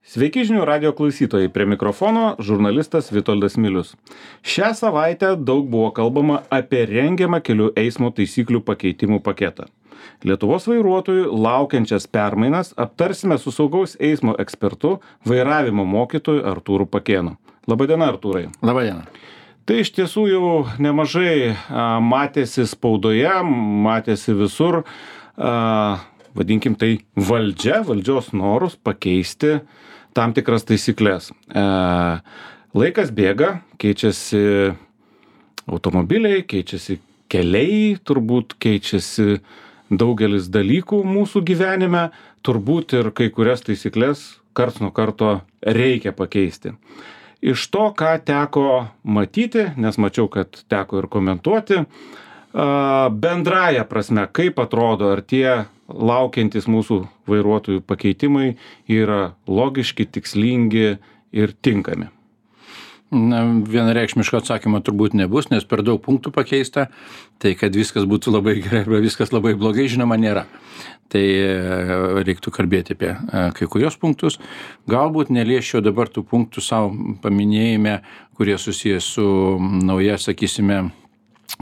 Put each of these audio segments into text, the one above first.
Sveiki žinių radio klausytojai, prie mikrofono žurnalistas Vitoldas Milius. Šią savaitę daug buvo kalbama apie rengiamą kelių eismo taisyklių pakeitimų paketą. Lietuvos vairuotojų laukiančias permainas aptarsime su saugaus eismo ekspertu, vairavimo mokytoju Artūru Pakėnu. Labadiena, Artūrai. Labadiena. Tai iš tiesų jau nemažai matėsi spaudoje, matėsi visur, vadinkim tai valdžios norus pakeisti tam tikras taisyklės. Laikas bėga, keičiasi automobiliai, keičiasi keliai, turbūt keičiasi daugelis dalykų mūsų gyvenime, turbūt ir kai kurias taisyklės karts nuo karto reikia pakeisti. Iš to, ką teko matyti, nes mačiau, kad teko ir komentuoti, bendraja prasme, kaip atrodo, ar tie laukiantis mūsų vairuotojų pakeitimai yra logiški, tikslingi ir tinkami. Vienareikšmiško atsakymo turbūt nebus, nes per daug punktų pakeista, tai kad viskas būtų labai gerai arba viskas labai blogai, žinoma, nėra. Tai reiktų kalbėti apie kai kurios punktus. Galbūt neliesčiau dabar tų punktų savo paminėjime, kurie susijęs su nauja, sakysime,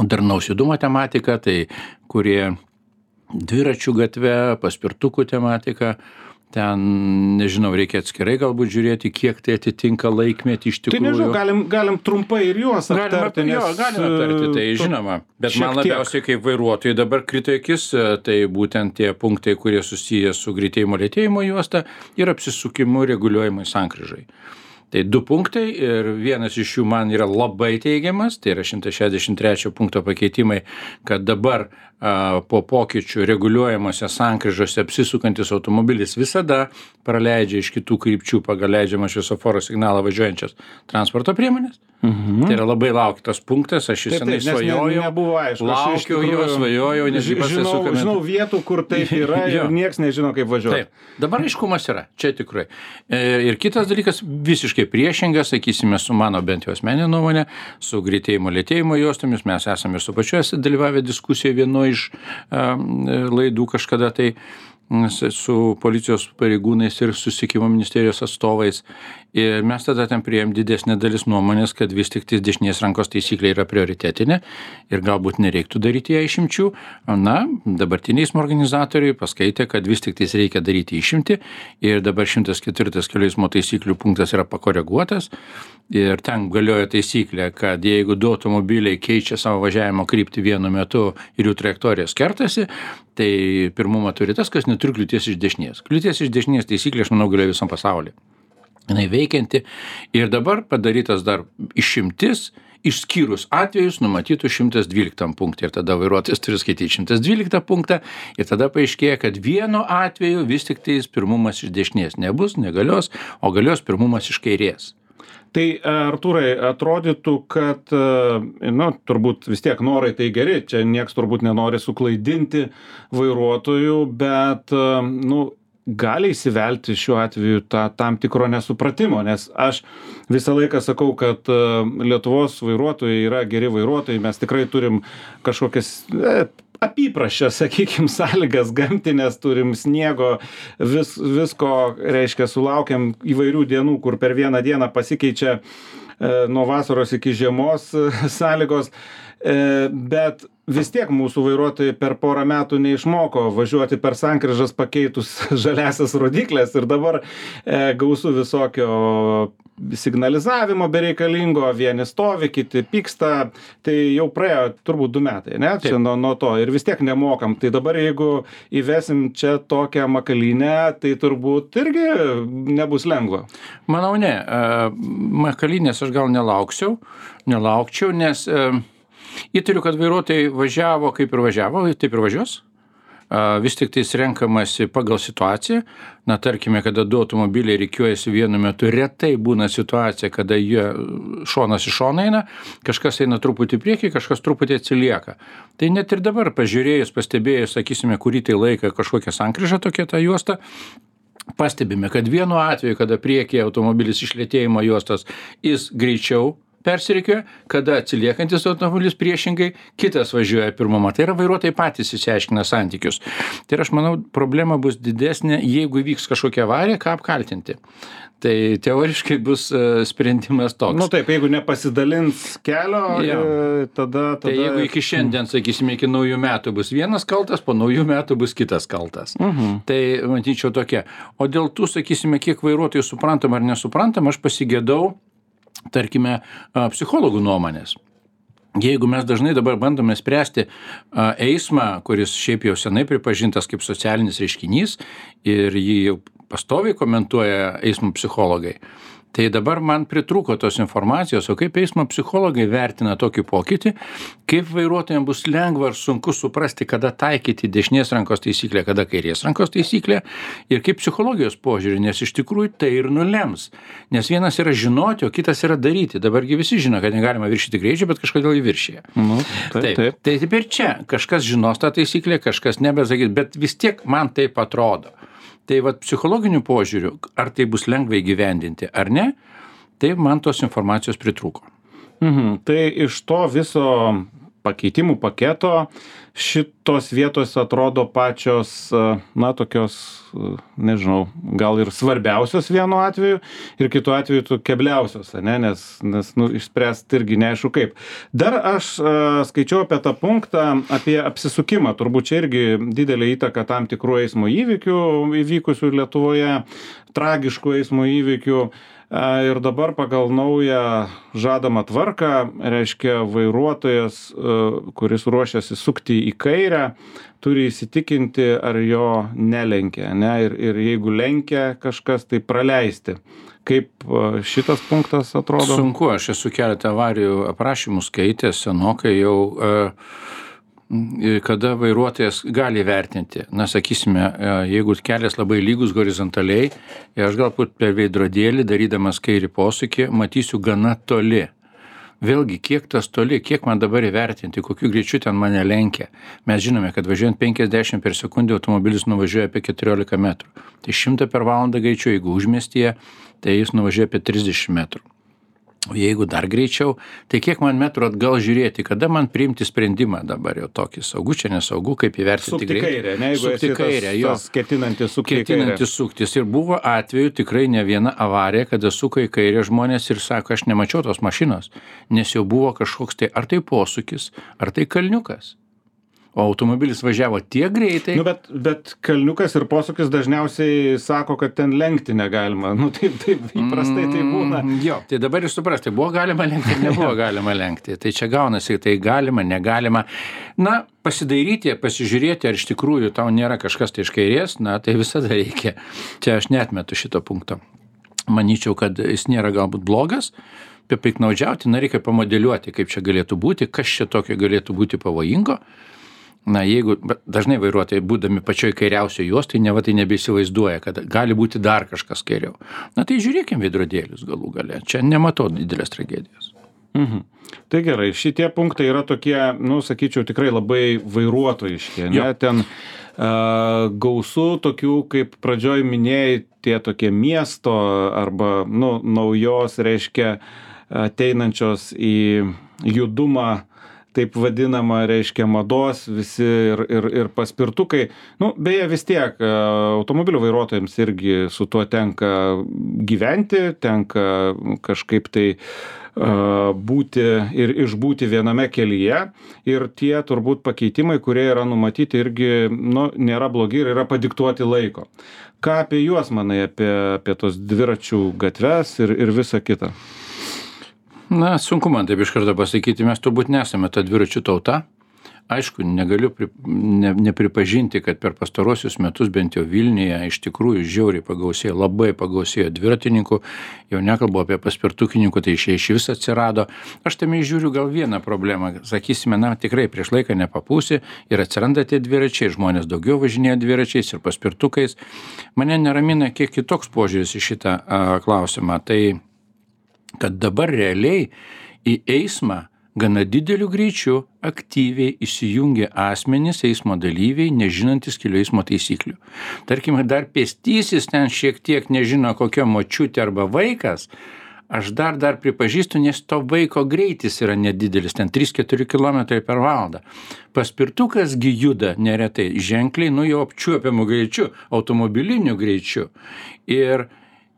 darnaus judumo tematika, tai kurie dviračių gatve, paspirtukų tematika. Ten, nežinau, reikia atskirai galbūt žiūrėti, kiek tai atitinka laikmetį iš tikrųjų. Tai nežinau, galim trumpai ir juos aptarti. Galim aptarti, tai žinoma. Bet man labiausiai kaip vairuotojai dabar krito akis, tai būtent tie punktai, kurie susiję su greitėjimo lėtėjimo juosta ir apsisukimu reguliuojamai sankryžai. Tai 2 punktai ir vienas iš jų man yra labai teigiamas, tai yra 163 punkto pakeitimai, kad dabar po pokyčių reguliuojamose sankryžose apsisukantis automobilis visada praleidžia iš kitų krypčių pagal leidžiamą šviesoforo signalą važiuojančias transporto priemonės. Tai yra labai lauktas punktas, aš senai svajojau, laukiau jo, svajojau, nes žinau vietų, kur taip yra ir nieks nežino, kaip važiuoti. Taip, dabar aiškumas yra, čia tikrai. Ir kitas dalykas visiškai priešingas, sakysime, su mano bent jau asmeninė nuomonė, su greitėjimo lėtėjimo juostomis, mes esame ir su pačiuose dalyvavę diskusijoje vienoje iš laidų kažkada tai su policijos pareigūnais ir susisiekimo ministerijos atstovais. Ir mes tada ten priėjom didesnė dalis nuomonės, kad vis tik dešinės rankos taisyklė yra prioritetinė ir galbūt nereiktų daryti ją išimčių. Na, dabartiniai eismo organizatoriai paskaitė, kad vis tik reikia daryti išimtį ir dabar 104 kelių eismo taisyklių punktas yra pakoreguotas ir ten galioja taisyklė, kad jeigu 2 automobiliai keičia savo važiavimo kryptį vienu metu ir jų trajektorijos kertasi, tai pirmumą turi tas, kas neturi kliūties iš dešinės. Kliūties iš dešinės taisyklė, aš manau, galioja visam pasaulyje. Jinai veikianti ir dabar padarytas dar išimtis, išskyrus atvejus numatytų 112 punktą ir tada vairuotojas turi skaityti 112 punktą ir tada paaiškėja, kad vienu atveju vis tik pirmumas iš dešinės nebus, negalios, o galios pirmumas iš kairės. Tai, Artūrai, atrodytų, kad, turbūt vis tiek norai tai geri, čia nieks turbūt nenori suklaidinti vairuotojų, bet, gali įsivelti šiuo atveju tam tikro nesupratimo, nes aš visą laiką sakau, kad Lietuvos vairuotojai yra geri vairuotojai, mes tikrai turim kažkokias apypraščias, sakykim, sąlygas gamtinės, turim sniego, visko, reiškia, sulaukiam įvairių dienų, kur per vieną dieną pasikeičia nuo vasaros iki žiemos sąlygos, bet vis tiek mūsų vairuotojai per porą metų neišmoko važiuoti per sankryžas pakeitus žaliasias rodyklės ir dabar gausu visokio signalizavimo bereikalingo, vieni stovi, kiti pyksta, tai jau praėjo turbūt 2 metai, ne? Čia nuo to ir vis tiek nemokam. Tai dabar jeigu įvesim čia tokią makalynę, tai turbūt irgi nebus lengva. Manau, ne. Makalynės aš gal nelaukčiau, nes įtariu, kad vairuotojai važiavo kaip ir važiavo, taip ir važiuos. Vis tik tais renkamasi pagal situaciją. Na, tarkime, kada 2 automobiliai rikiuojasi vienu metu, retai būna situacija, kada jie šonas į šoną eina, kažkas eina truputį priekį, kažkas truputį atsilieka. Tai net ir dabar pažiūrėjus, pastebėjus, sakysime, kurį tai laiką kažkokią sankryžą tokia ta juosta, pastebime, kad vienu atveju, kada priekyje automobilis iš lėtėjimo juostos, jis greičiau persirikioja, kada atsiliekantis automobilis priešingai, kitas važiuoja pirmumą. Tai yra vairuotojai patys išsiaiškina santykius. Tai aš manau, problema bus didesnė, jeigu įvyks kažkokia avarija, ką apkaltinti. Tai teoriškai bus sprendimas toks. Nu taip, jeigu nepasidalins kelio, tada... Tai jeigu iki šiandien, sakysime, iki naujų metų bus vienas kaltas, po naujų metų bus kitas kaltas. Tai matyčiau tokia. O dėl tų, sakysime, kiek vairuotojų suprantam ar nesuprantam, aš pasigėdau, tarkime, psichologų nuomonės. Jeigu mes dažnai dabar bandome spręsti eismą, kuris šiaip jau senai pripažintas kaip socialinis reiškinys ir jį jau pastoviai komentuoja eismo psichologai, tai dabar man pritrūko tos informacijos, o kaip eismo psichologai vertina tokį pokytį, kaip vairuotojams bus lengva ar sunku suprasti, kada taikyti dešinės rankos taisyklę, kada kairės rankos taisyklę ir kaip psichologijos požiūrį, nes iš tikrųjų tai ir nulems. Nes vienas yra žinoti, o kitas yra daryti. Dabargi visi žino, kad negalima viršyti greičio, bet kažkodėl jį viršyje. Taip. Tai taip ir čia. Kažkas žinos tą taisyklę, kažkas nebesakys, bet vis tiek man taip atrodo. Tai vat psichologiniu požiūriu, ar tai bus lengvai gyvendinti ar ne, tai man tos informacijos pritrūko. Tai iš to viso pakeitimų paketo šitos vietos atrodo pačios, na, tokios, nežinau, gal ir svarbiausios vienu atveju ir kitu atveju kebliausios, nes išspręsti irgi neaišku kaip. Dar aš skaičiau apie tą punktą, apie apsisukimą, turbūt čia irgi didelė įtaka tam tikrų eismo įvykių įvykusių Lietuvoje, tragiškų eismo įvykių. Ir dabar pagal naują žadamą tvarką, reiškia, vairuotojas, kuris ruošiasi sukti į kairę, turi įsitikinti, ar jo nelenkia, ne? Ir jeigu lenkia kažkas, tai praleisti. Kaip šitas punktas atrodo? Sunku, aš esu keletą avarijų aprašymų skaitęs, senokai jau... kada vairuotojas gali vertinti. Na, sakysime, jeigu kelias labai lygus horizontaliai, aš galbūt per veidrodėlį, darydamas kairį posūkį, matysiu gana toli. Vėlgi, kiek tas toli, kiek man dabar įvertinti, kokiu greičiu ten mane lenkia. Mes žinome, kad važiuojant 50 per sekundę automobilis nuvažiuoja apie 14 metrų. Tai 100 per valandą greičiu, jeigu užmiestyje, tai jis nuvažiuoja apie 30 metrų. O jeigu dar greičiau, tai kiek man metrų atgal žiūrėti, kada man priimti sprendimą dabar jau tokį saugu, čia nesaugu, kaip įvertinti greitį. Sukti kairę, ne? Jeigu esi tas ketinantis sukti kairę. Ketinantis suktis. Ir buvo atveju tikrai ne viena avarija, kada suka į kairę žmonės ir sako, aš nemačiau tos mašinos, nes jau buvo kažkoks tai, ar tai posūkis, ar tai kalniukas. O automobilis važiavo tiek greitai. Bet kalniukas ir posūkis dažniausiai sako, kad ten lenkti negalima. Taip įprastai tai būna. Jo, tai dabar jūs suprasti, buvo galima lenkti, nebuvo galima lenkti. Tai čia gaunasi, tai galima, negalima. Na, pasidairyti, pasižiūrėti, ar iš tikrųjų tau nėra kažkas tai iš kairės, na, tai visada reikia. Čia aš neatmetu šito punkto. Manyčiau, kad jis nėra galbūt blogas. Apie piknaudžiauti, reikia pamodeliuoti, kaip čia galėtų būti, kas čia tokio galėtų būti pavojingo. Na, jeigu dažnai vairuotojai, būdami pačioj kairiausioj juostoj, neva tai nebeįsivaizduoja, kad gali būti dar kažkas kairiau. Na, tai žiūrėkim veidrodėlius galų gale. Čia nematau didelės tragedijos. Tai gerai, šitie punktai yra tokie, sakyčiau, tikrai labai vairuotojiški. Ten gausu tokių, kaip pradžioj minėjai, tie tokie miesto arba naujos, reiškia, ateinančios į judumą, taip vadinama, reiškia, mados visi ir paspirtukai. Beje, vis tiek automobilių vairuotojams irgi su tuo tenka gyventi, tenka kažkaip tai būti ir išbūti viename kelyje. Ir tie turbūt pakeitimai, kurie yra numatyti, irgi nėra blogi ir yra padiktuoti laiko. Ką apie juos manai, apie tos dviračių gatves ir visą kitą? Na, sunku man taip iš karto pasakyti, mes turbūt nesame ta dviračių tauta. Aišku, negaliu nepripažinti, kad per pastarosius metus bent jau Vilniuje iš tikrųjų žiauriai pagausėjo, labai pagausėjo dviratininkų, jau nekalbu apie paspirtukininkų, tai iš vis atsirado. Aš tame žiūriu gal vieną problemą, sakysime, tikrai prieš laiką nepapūsi ir atsiranda tie dviračiai, žmonės daugiau važinėja dviračiais ir paspirtukais. Mane neramina kiek kitoks požiūris į šitą klausimą, tai kad dabar realiai į eismą gana dideliu greičiu aktyviai įsijungia asmenys, eismo dalyviai, nežinantis kelių eismo taisyklių. Tarkime, dar pėstysis ten šiek tiek nežino kokia močiutė arba vaikas, aš dar pripažįstu, nes to vaiko greitis yra nedidelis, ten 3-4 km per valandą. Paspirtukas gi juda neretai ženkliai, jau apčiuopiamu greičiu, automobiliniu greičiu. Ir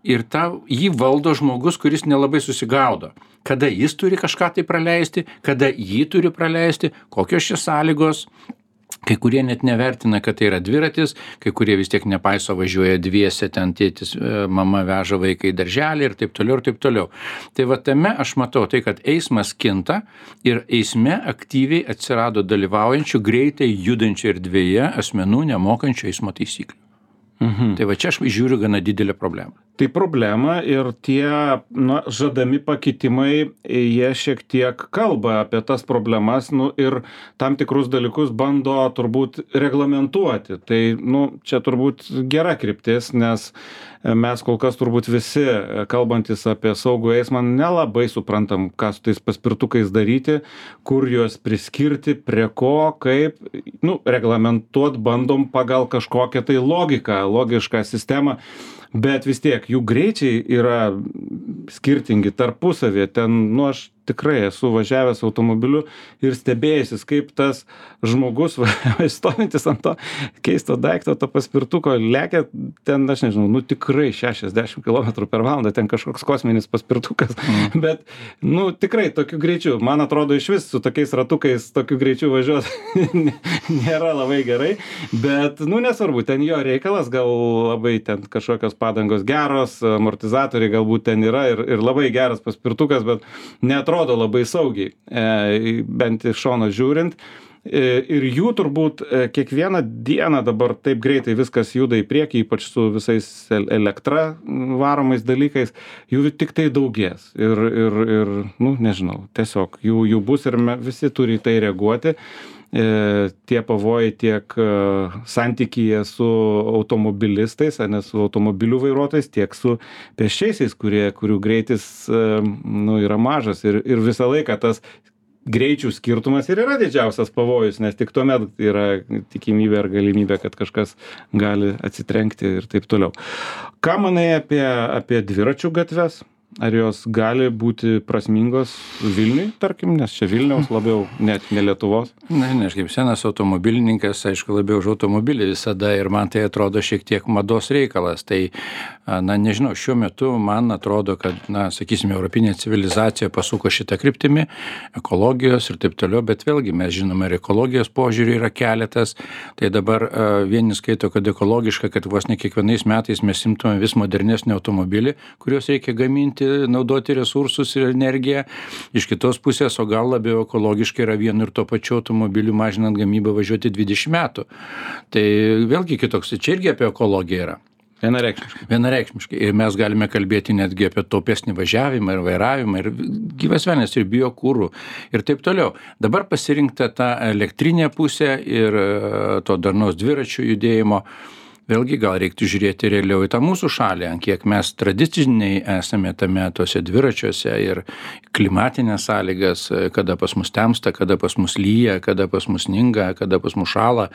jį valdo žmogus, kuris nelabai susigaudo. Kada jis turi kažką tai praleisti, kada jį turi praleisti, kokios čia sąlygos. Kai kurie net nevertina, kad tai yra dviratis, kai kurie vis tiek nepaiso, važiuoja dviese, ten tėtis, mama veža vaiką į darželį ir taip toliau, ir taip toliau. Tai va tame aš matau tai, kad eismas kinta ir eisme aktyviai atsirado dalyvaujančių greitai judančių erdvėje asmenų nemokančių eismo taisyklių. Tai va čia aš žiūriu gana didelę problemą. Tai problema ir tie žadami pakitimai, jie šiek tiek kalba apie tas problemas ir tam tikrus dalykus bando turbūt reglamentuoti. Tai čia turbūt gera kryptis, nes mes kol kas turbūt visi, kalbantis apie saugų eismą, nelabai suprantam, ką su tais paspirtukais daryti, kur juos priskirti, prie ko, kaip, reglamentuot bandom pagal kažkokią tai logišką sistemą. Bet vis tiek jų greičiai yra skirtingi tarpusavėje. Ten, aš tikrai esu važiavęs automobiliu ir stebėjęsis, kaip tas žmogus stovintis ant to keisto daikto, to paspirtuko, lekia ten, aš nežinau, tikrai 60 km per valandą, ten kažkoks kosminis paspirtukas. Bet, tikrai tokiu greičiu, man atrodo, iš vis su tokiais ratukais tokiu greičiu važiuoti nėra labai gerai. Bet, nesvarbu, ten jo reikalas, gal labai ten kažkokios padangos geros, amortizatoriai galbūt ten yra ir labai geras paspirtukas, bet neatrodo labai saugiai, bent iš šono žiūrint. Ir jų turbūt kiekvieną dieną dabar taip greitai viskas juda į priekį, ypač su visais elektra varomais dalykais, jų tik tai daugės. Ir nežinau, tiesiog jų bus ir visi turi į tai reaguoti. Tie pavojai tiek santykyje su automobilistais, ne su automobilių vairuotojais, tiek su pėsčiaisiais, kurių greitis yra mažas ir visą laiką tas greičių skirtumas ir yra didžiausias pavojus, nes tik tuomet yra tikimybė ar galimybė, kad kažkas gali atsitrenkti ir taip toliau. Ką manai apie dviračių gatves? Ar jos gali būti prasmingos Vilniui, tarkim, nes čia Vilniaus labiau, net ne Lietuvos? Aš kaip senas automobilininkas, aišku, labiau už automobilį visada ir man tai atrodo šiek tiek mados reikalas. Tai, nežinau, šiuo metu man atrodo, kad, sakysime, europinė civilizacija pasuko šitą kryptimį, ekologijos ir taip toliau, bet vėlgi mes žinome, ir ekologijos požiūrį yra keletas. Tai dabar vieni skaito, kad ekologiška, kad vos ne kiekvienais metais mes imtume vis modernesnį automobilį, kuriuos reikia gaminti, naudoti resursus ir energiją. Iš kitos pusės, o gal labiau ekologiškai yra vienu ir to pačiu automobiliu mažinant gamybą važiuoti 20 metų. Tai vėlgi kitoks, čia irgi apie ekologiją yra. Vienareikšmiškai. Ir mes galime kalbėti netgi apie taupesnį važiavimą ir vairavimą ir gyvas velnias ir biokūrų ir taip toliau. Dabar pasirinkta ta elektrinė pusė ir to darnaus dviračių judėjimo. Vėlgi gal reiktų žiūrėti realiau į tą mūsų šalį, ant kiek mes tradiciniai esame tose dviračiuose ir klimatinės sąlygas, kada pas mus temsta, kada pas mus lyja, kada pas mus sninga, kada pas mus šąla.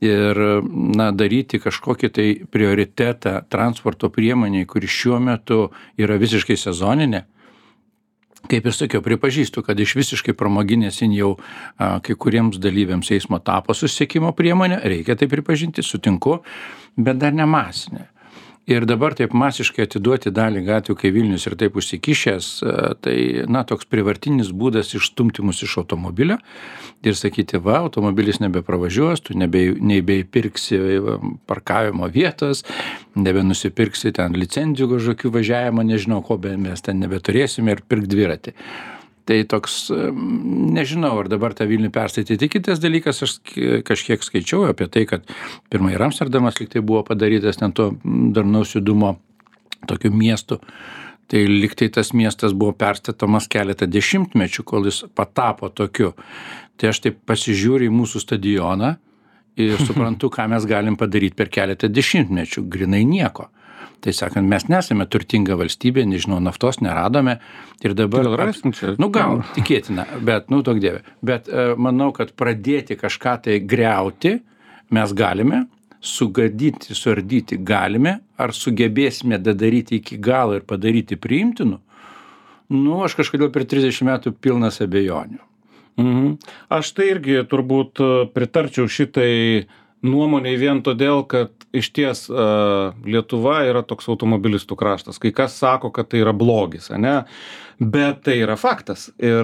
Ir daryti kažkokį tai prioritetą transporto priemoniai, kuri šiuo metu yra visiškai sezoninė. Kaip ir sakiau, pripažįstu, kad iš visiškai pramoginės jau kai kuriems dalyviams eismo tapo susisiekimo priemonė, reikia tai pripažinti, sutinku, bet dar ne masinė. Ir dabar taip masiškai atiduoti dalį gatvių, kai Vilnius ir taip užsikišęs, tai toks privartinis būdas išstumti mus iš automobilio ir sakyti, automobilis nebepravažiuos, tu nebeįpirksi parkavimo vietos, nebenusipirksi ten licenzijų kažkokių važiavimo, nežinau ko, bet mes ten nebeturėsime ir pirk dviratį. Tai toks, nežinau, ar dabar tą Vilnių perstatyti. Kitas dalykas, aš kažkiek skaičiau apie tai, kad pirmai ir Amsterdamas lyg tai buvo padarytas ten to darnaus judumo tokiu miestu. Tai lyg tai tas miestas buvo perstatomas keletą dešimtmečių, kol jis patapo tokiu. Tai aš taip pasižiūriu į mūsų stadioną ir suprantu, ką mes galim padaryti per keletą dešimtmečių. Grinai nieko. Tai sakant, mes nesame turtinga valstybė, nežinau, naftos neradome ir dabar... Gal, tikėtina, bet, tok dieve. Bet manau, kad pradėti kažką tai griauti mes galime, sugadyti, suardyti galime, ar sugebėsime daryti iki galo ir padaryti priimtinu, Nu, aš kažkodėl per 30 metų pilnas abejonių. Aš tai irgi turbūt pritarčiau šitai nuomonei vien todėl, kad iš ties Lietuva yra toks automobilistų kraštas. Kai kas sako, kad tai yra blogis, ane? Bet tai yra faktas. Ir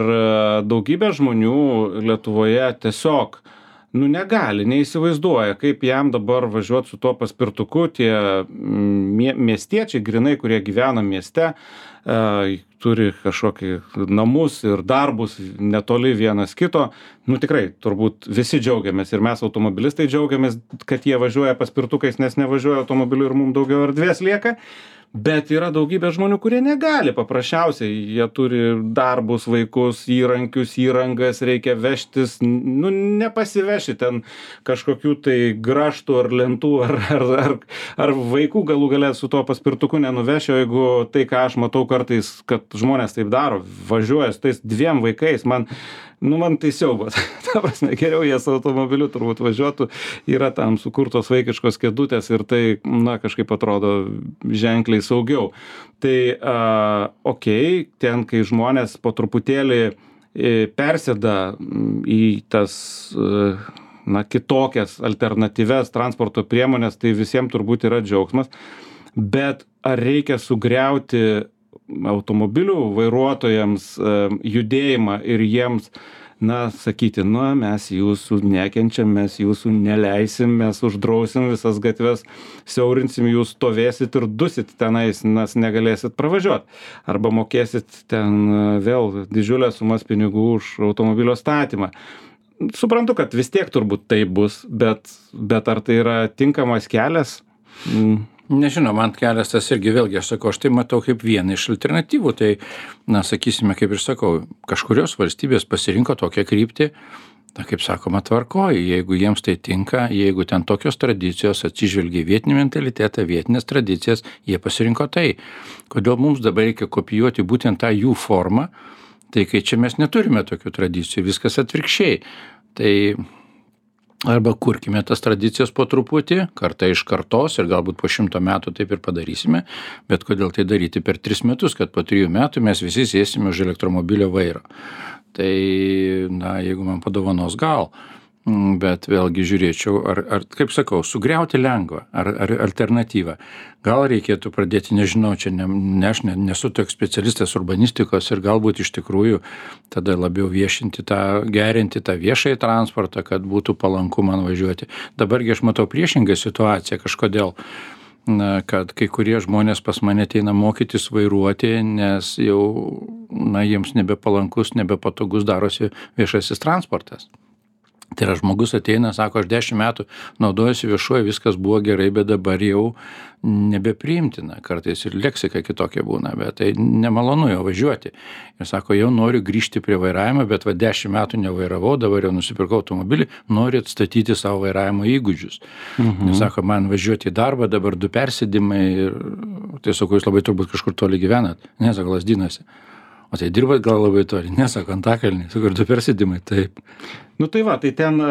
daugybė žmonių Lietuvoje tiesiog negali, neįsivaizduoja, kaip jam dabar važiuoti su tuo paspirtuku. Tie miestiečiai, grinai, kurie gyvena mieste, turi kažkokį namus ir darbus netoli vienas kito. Tikrai, turbūt visi džiaugiamės ir mes automobilistai džiaugiamės, kad jie važiuoja paspirtukais, nes nevažiuoja automobiliu ir mums daugiau erdvės lieka. Bet yra daugybė žmonių, kurie negali paprasčiausiai. Jie turi darbus, vaikus, įrankius, įrangas, reikia vežtis. Nepasiveši ten kažkokių tai graštų ar lentų ar vaikų galų gale su tuo paspirtuku nenuveši. O jeigu tai, ką aš matau kartais, kad žmonės taip daro, važiuoja su tais 2 vaikais, man tai siaubas. Ta prasme, geriau jie su automobiliu turbūt važiuotų, yra tam sukurtos vaikiškos kėdutės ir tai, kažkaip atrodo ženkliai saugiau. Tai, ten, kai žmonės po truputėlį persėda į tas, kitokias alternatyves transporto priemonės, tai visiems turbūt yra džiaugsmas. Bet ar reikia sugriauti automobilių vairuotojams judėjimą ir jiems, sakyti, mes jūsų nekenčiam, mes jūsų neleisim, mes uždrausim visas gatves, siaurinsim, jūs stovėsit ir dusit tenais, nes negalėsit pravažiuoti. Arba mokėsit ten vėl didžiulės sumas pinigų už automobilio statymą. Suprantu, kad vis tiek turbūt tai bus, bet ar tai yra tinkamas kelias? Nežinau, man kelias tas irgi vėlgi, aš tai matau kaip vieną iš alternatyvų. Tai, sakysime, kaip ir sakau, kažkurios valstybės pasirinko tokią kryptį, kaip sakoma, tvarkoji, jeigu jiems tai tinka, jeigu ten tokios tradicijos atsižvelgia vietinį mentalitetą, vietinės tradicijas, jie pasirinko tai. Kodėl mums dabar reikia kopijuoti būtent tą jų formą, tai kai čia mes neturime tokių tradicijų, viskas atvirkščiai. Tai arba kurkime tas tradicijas po truputį, kartą iš kartos ir galbūt po 100 metų taip ir padarysime, bet kodėl tai daryti per 3 metus, kad po 3 metų mes visi sėsime už elektromobilio vairo. Tai, jeigu man padovanos gal, bet vėlgi žiūrėčiau, ar kaip sakau, sugriauti lengva, ar alternatyva. Gal reikėtų pradėti, nežinau, čia aš nesu toks specialistas urbanistikos ir galbūt iš tikrųjų tada labiau gerinti tą viešąjį transportą, kad būtų palanku man važiuoti. Dabargi aš matau priešingą situaciją kažkodėl, kad kai kurie žmonės pas mane ateina mokytis vairuoti, nes jau, jiems nebepalankus, nebepatogus darosi viešasis transportas. Tai yra žmogus ateina, sako, aš 10 metų naudojuosi viešuoju, viskas buvo gerai, bet dabar jau nebepriimtina. Kartais ir leksika kitokia būna, bet tai nemalonu jau važiuoti. Ir sako, jau noriu grįžti prie vairavimo, bet 10 metų nevairavau, dabar jau nusipirkau automobilį, noriu atstatyti savo vairavimo įgūdžius. Ir sako, man važiuoti į darbą, dabar 2 persėdimai ir tai sako, jūs labai turbūt kažkur toli gyvenat, nesako, Lazdynuose. O tai dirbat gal labai toli, nesako, Antakalny, sako, 2 persėdimai, taip. Tai va, tai ten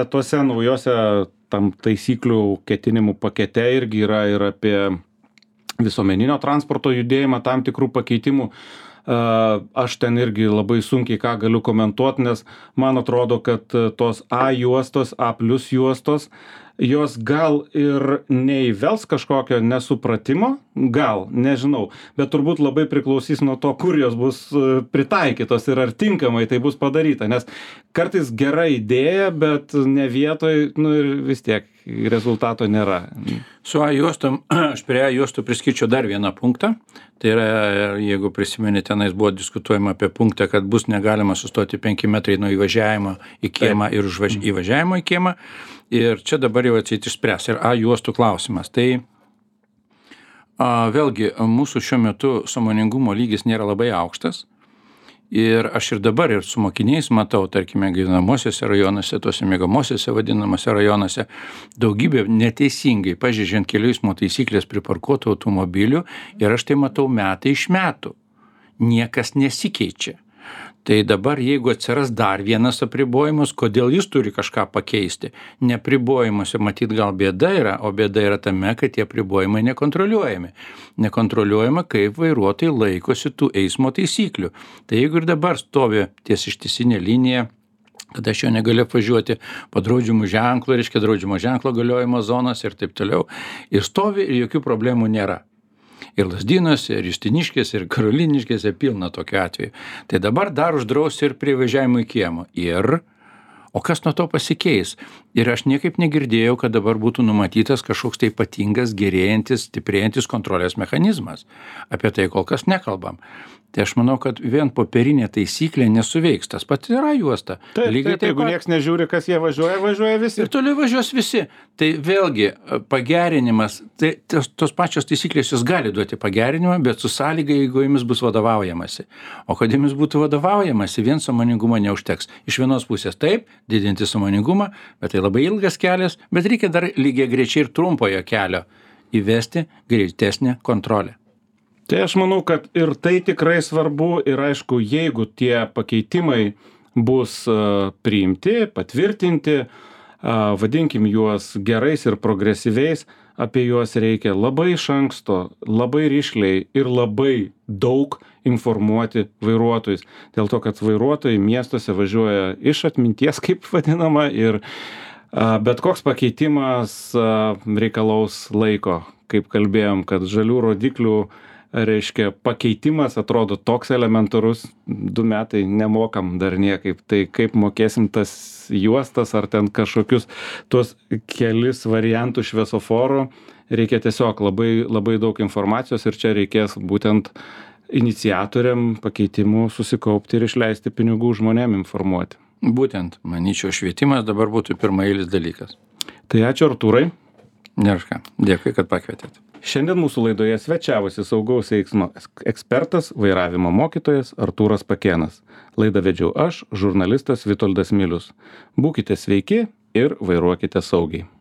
tuose naujose tam taisyklių ketinimų pakete irgi yra ir apie visuomeninio transporto judėjimą tam tikrų pakeitimų. Aš ten irgi labai sunkiai ką galiu komentuoti, nes man atrodo, kad tos A juostos, A+ juostos, jos gal ir neįvels kažkokio nesupratimo, gal, nežinau, bet turbūt labai priklausys nuo to, kur jos bus pritaikytos ir ar tinkamai tai bus padaryta, nes kartais gera idėja, bet ne vietoj, ir vis tiek rezultato nėra. Su A juostom, aš prie A juostų priskirčiau dar vieną punktą. Tai yra, jeigu prisimenė, tenais buvo diskutuojama apie punktą, kad bus negalima sustoti 5 metrai nuo įvažiavimo į kiemą ir įvažiavimo į kiemą. Ir čia dabar jau atseit išspręs. Ir A juostų klausimas. Tai vėlgi, mūsų šiuo metu sąmoningumo lygis nėra labai aukštas. Ir aš ir dabar ir su mokiniais matau, tarkime, gyvenamosiuose rajonuose, tuose miegamosiuose vadinamose rajonuose, daugybė neteisingai pažeidžiant kelių eismo taisyklės priparkuotų automobilių ir aš tai matau metai iš metų. Niekas nesikeičia. Tai dabar, jeigu atsiras dar vienas apribojimas, kodėl jis turi kažką pakeisti? Neapribojimuose matyt gal bėda yra, o bėda yra tame, kad tie apribojimai nekontroliuojami. Nekontroliuojama, kaip vairuotojai laikosi tų eismo taisyklių. Tai jeigu ir dabar stovi ties ištisinė linija, kad aš jo negaliu apvažiuoti po draudžiamų ženklų, reiškia draudžiamo ženklo galiojimo zonas ir taip toliau, ir stovi ir jokių problemų nėra. Ir Lazdynuose, ir Justiniškėse, ir Karoliniškėse pilna tokiu atveju. Tai dabar dar uždraus ir prie važiavimo į kiemą. O kas nuo to pasikeis? Ir aš niekaip negirdėjau, kad dabar būtų numatytas kažkoks tai ypatingas, gerėjantis, stiprėjantis kontrolės mechanizmas. Apie tai kol kas nekalbam. Tai aš manau, kad vien popierinė taisyklė nesuveiks. Tas pat yra juosta. Taip, jeigu nieks nežiūri, kas jie važiuoja visi. Ir toliau važiuos visi. Tai vėlgi pagerinimas, tai tos pačios taisyklės jos gali duoti pagerinimą, bet su sąlyga, jeigu jomis bus vadovaujamasi. O kad jomis būtų vadovaujamasi, vien sąmoningumo neužteks. Iš vienos pusės taip, didinti sąmoningumą, bet tai labai ilgas kelias, bet reikia dar lygiai greičiai ir trumpojo kelio įvesti greitesnę kontrolę. Tai aš manau, kad ir tai tikrai svarbu ir aišku, jeigu tie pakeitimai bus priimti, patvirtinti, vadinkim juos gerais ir progresyviais, apie juos reikia labai iš anksto, labai rišliai ir labai daug informuoti vairuotojus. Dėl to, kad vairuotojai miestuose važiuoja iš atminties, kaip vadinama, ir bet koks pakeitimas reikalaus laiko. Kaip kalbėjom, kad žalių rodiklių reiškia pakeitimas atrodo toks elementarus, 2 metai nemokam dar niekaip, tai kaip mokėsim tas juostas ar ten kažkokius tuos kelis variantų šviesoforo, reikia tiesiog labai, labai daug informacijos ir čia reikės būtent iniciatoriam pakeitimų susikaupti ir išleisti pinigų žmonėm informuoti. Būtent, manyčiau, švietimas dabar būtų pirmaeilis dalykas. Tai ačiū Artūrai. Nėra, dėkui, kad pakvietėt. Šiandien mūsų laidoje svečiavosi saugaus eismo ekspertas, vairavimo mokytojas Artūras Pakėnas. Laidą vedžiau aš, žurnalistas Vitoldas Milius. Būkite sveiki ir vairuokite saugiai.